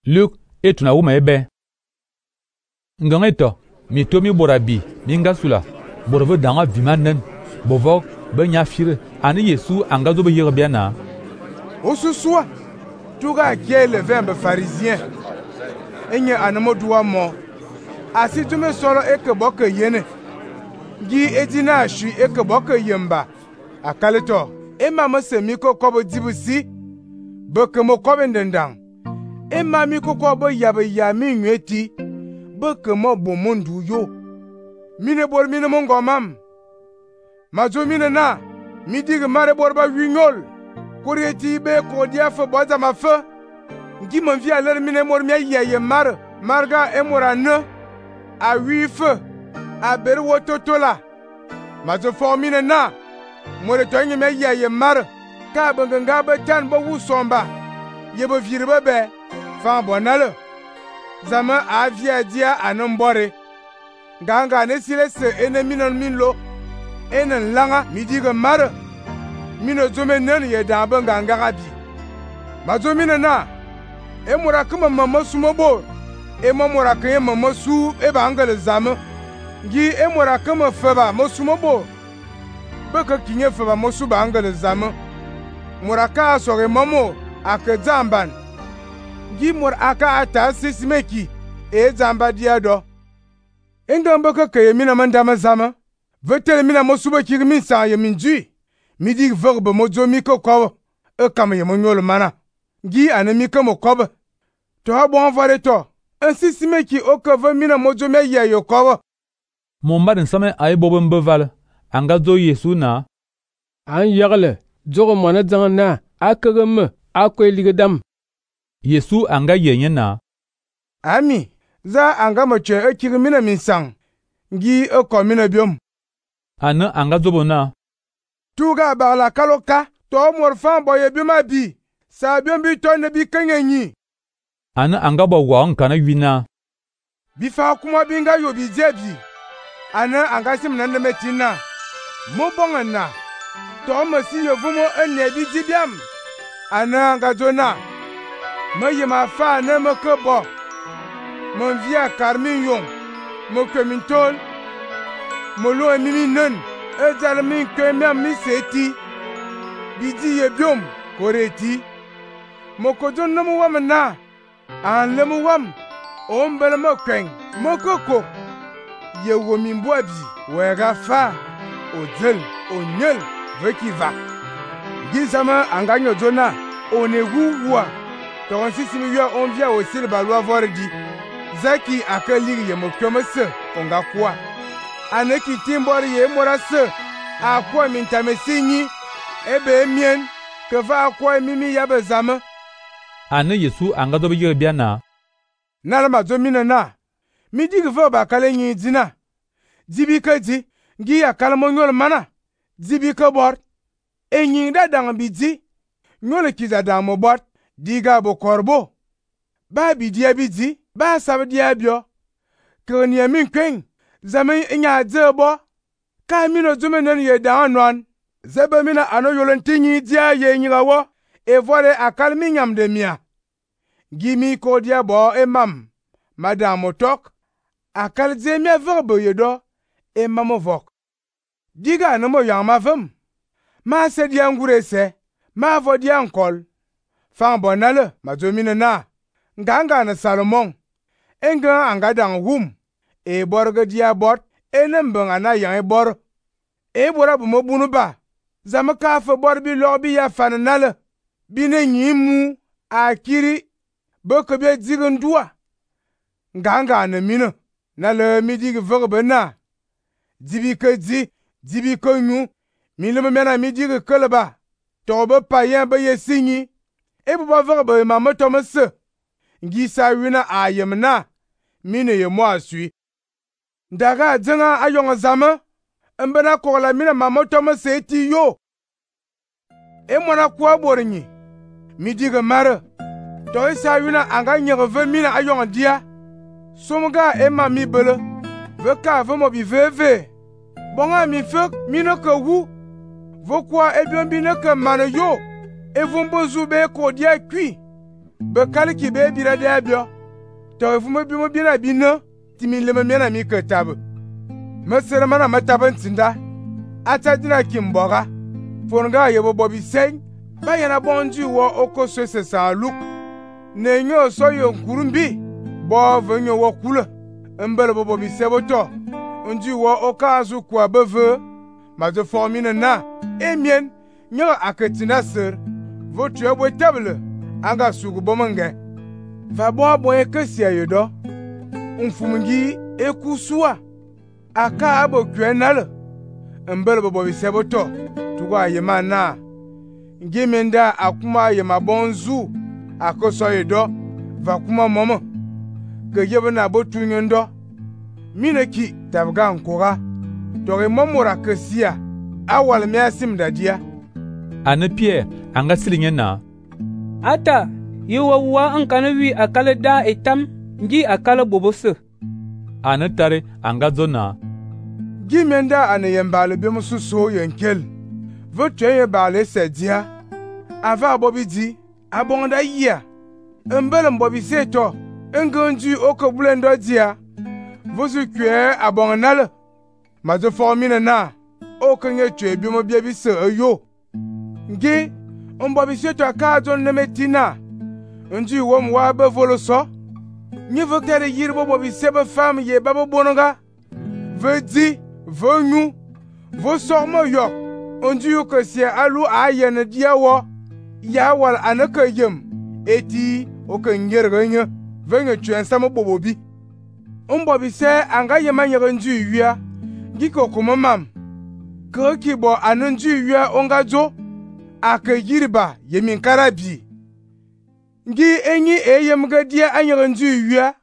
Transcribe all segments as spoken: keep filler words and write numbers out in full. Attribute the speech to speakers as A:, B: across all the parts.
A: Luke etuna wuma ebe. Ngangeto, mi to mi borabi, mi ngasula, borove danga vimanen, bovok, be nyafire, ani Yesu angazo be yerbiana.
B: Osusua, tuga kie le vembe pharisien. Enye anamo duwa mo. Asi tume solo eke boke yene. Gi edina ashu eke boke yemba. Akaleto, ema mose miko kobo dibusi. Beke mo kobe ndendang. Ema miko kobo yabe yami nweti. Beke mo bomundu yo. Mine bor mine mongo mam. Majo mine na. Midig mare borba winyol. Kurieti be kodia fe boza ma fe. Ngi mon vi aler mine mor mia yeye mar. Marga emora ne. A wi fe. A ber wototola. Majo fo mine na. More to ngi mia yeye mar. Ka benganga be tan bo wusomba. Yebo virbe be. Fa bonale. Zama avia dia anambore. Ganga ne sile se ene minon minlo. Enen langa midiga mare. Mino zome nen ye dambe ganga gabi. Mazo mine na. E mura kuma mama sumobo. E mamura kanye mama su e bangale zame. Gi e mura kuma feba mo sumobo. Beke kinye feba mo su bangale zame. Mura ka asore mamo ake zamban. Gi mur aka ata sisimeki e zamba diado. Engan beke keye mina mandama zame. Vetele mina mo suba kiri min sa ye min jui. Midi verbe mo zo mi ko kobe. E kam ye mo nyolo mana. Gi ane mi ko mo kobe. To ha bon vare to. Ainsi si me ki o kove mina mo zo me ye yo kobe.
A: Mon maden same ay boben beval. Anga zo Yesu na.
C: An yagle. Zogo mwana zangan na. Akagem. Akwe ligedam.
A: Yesu anga yenye na.
B: Ami. Za anga mo che e kiri mina min sang. Gi e ko mina biom.
A: Ane anga zobo na.
B: Tuga bagla kaloka, to morfan boye bima bi, sa biom bi to ne bi kenyenyi.
A: Ane anga bo wa nkana wina.
B: Bifa kuma binga yo bi jebi. Ane anga sim nande metina. Mo bongana. To mo si yo vumo enne bi jibiam. Ane anga zona. Mo yema fa ne me ke bo. Mon via karmin yon. Mo kemintol. Mo lo emimi nen. E jale min kwe miam mi seti. Bidi ye biom koreti. Mokodon namu wam na. An lemu wam. Ombele mo kwen. Mokoko. Ye womimbo abi. Wega fa. Odel. Onyel. Veki va. Gizama anganyo zona. One wuwa. Toron sisi mi yo on via osil balwa vordi. Zaki akaliri ye mokyomese. Onga kwa. Aneki timbori ye morase akwa mintame sinyi ebe emien keva akwa mimi yabe zame.
A: Ane Yesu anga zo be yerbiana.
B: Nala mazo mina na. Midi gve ba kale nyi dina. Dibi ke di gi akala mo nyol mana. Dibi ke bor. Enyi da dang bi di. Nyole kiza dang mo bor. Diga bo korbo. Ba bi dia bi di. Ba sab dia bio. Krenya min kwen. Zame inya dzebo. Ka mino zume nen ye da anon. Zebe mina ano yolentinyi dia ye nyigawo. E vole akal mi nyam de mia. Gimi ko dia bo e mam. Madame motok. Akal ze mia verbe yedo. E mamo vok. Diga anamo yang ma vem. Ma se dia ngure se. Ma vo dia nkol. Fan bonale. Ma zo mine na. Nganga na Salomon. Enga anga dang wum. E borge dia bot, e nembeng ana yang e bor. E bora bu mo bunu ba. Zame ka fe bor bi lor bi ya fan nale. Bine nyimu, akiri, beke bi digen dua. Nganga ane mine, nale midi ge verbe na. Dibi ke di, dibi ke nyu, mine me mena midi ge keleba. Tobe payen be ye sinyi. E bu ba verbe ma metome se. Ngi sa wina ayem na, mine ye mo asui. Daga dzenga ayong zame. Mbena kola mina mamoto me seti yo. E mwana kwa borinyi. Midiga mare. To isa wina anga nyereve mina ayong dia. Somga e mami bele. Veka vemo bi veve. Bonga mi fek mina ke wu. Vokwa e bion bine ke mane yo. E vombo zube ko dia kui. be kaliki be bira de abio to fu mo bi mo bi na bi no ti mi le me na mi ke tabe me sere mana mataban tinda ata dina kimboga fonga yebo bobi sen ba yana bonji wo okoso se sa luk ne nyo so yo nkurumbi bo venyo wo kula mbele bo bobi seboto nji wo okazu kwa beve ma de formine na emien nyo aketina ser votu ebo table anga sugu bomange va bo bo ekesia yodo umfumungi ekusua aka abo kwenale mbele bo bobi seboto tuwa yema na ngimenda akuma yema bonzu akoso yodo va kuma momo ke yebe na botu nyondo mineki tabga nkora dore momora kesia awal me asim dadia
A: ane Pierre anga silinge na
D: ata yiwa wa ankana wi akala da etam ngi akala bobose
A: ane tare anga zona
B: gimenda ane yembale be mususo yenkel votu ye bale sedia ava bobidi abonda yia mbele mbobi seto engonji okobulendo dia vozu kwe abongnal ma de formine na okenye tue bi mo bia bi se ayo ngi mbobi seto aka don nemetina nji wo mwa be voloso ni vokere yirbo bobi sebe fam ye babo bononga vedi vonu vo sormo yok nji ko se alu ayene diawo ya wal anaka yem eti okenyerganya venye tue nsamo bobobi mbobi se anga yema nyere nju wia giko kuma mam ko kibo anu nju wia ongajo akayiriba yemin karabi ngi enyi eyem gadia anyere nju wia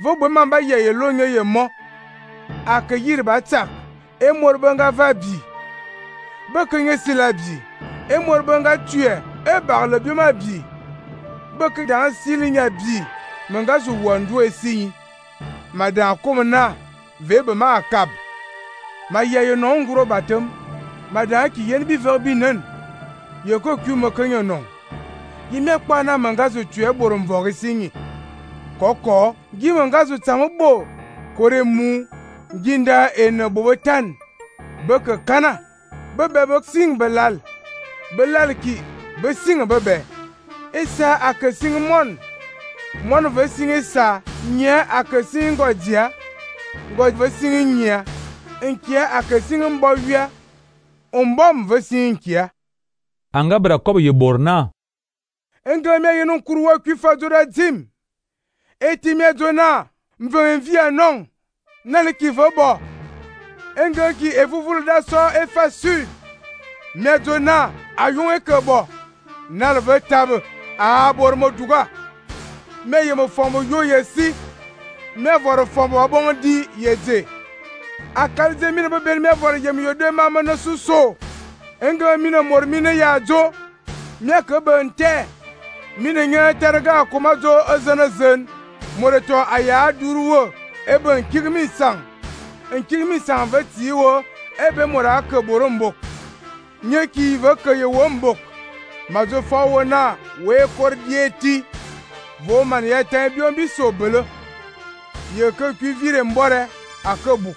B: vo bo mamba ye yelonye yemo akayiriba tak e morbanga vabi bekenye silabi e morbanga tue e barle bima bi beke dan silinya bi mangazu wandu esinyi madan komna vebe ma akab ma ye no nguro batem madan ki yen bi verbi nen ye ko ku mo kanyo no yime kpa na mangazu tue borom vori sinyi koko gi mangazu tambo kore mu ginda en bobotan beke kana bebe bek sing belal belal ki be sing bebe esa akasing mon mon ve sing esa nya akasing godia god ve sing nya enkia akasing mbowia ombom ve sing kia
A: anga bra kobo ye borna
B: engame yenu kurwa kwifa dora dim etime dona mve envia non nale ki vobo enga ki evuvul da so efasu medona ayon ekebo nale ve tab a bormo duga me yemo fomo yo yesi me voro fomo bondi yeze akalze mine be bel me voro yem yo de mama na suso enga mine mor mine ya jo me ke bente mine nya terga kuma jo azana zen moreto aya duruwo ebe nkirmi sang nkirmi sang vetiwo ebe mora ke borombo nye ki ve ke ye wombo majo fawo na we kordieti vo man ya tan bion bi sobele ye ke ku vire mbore akabuk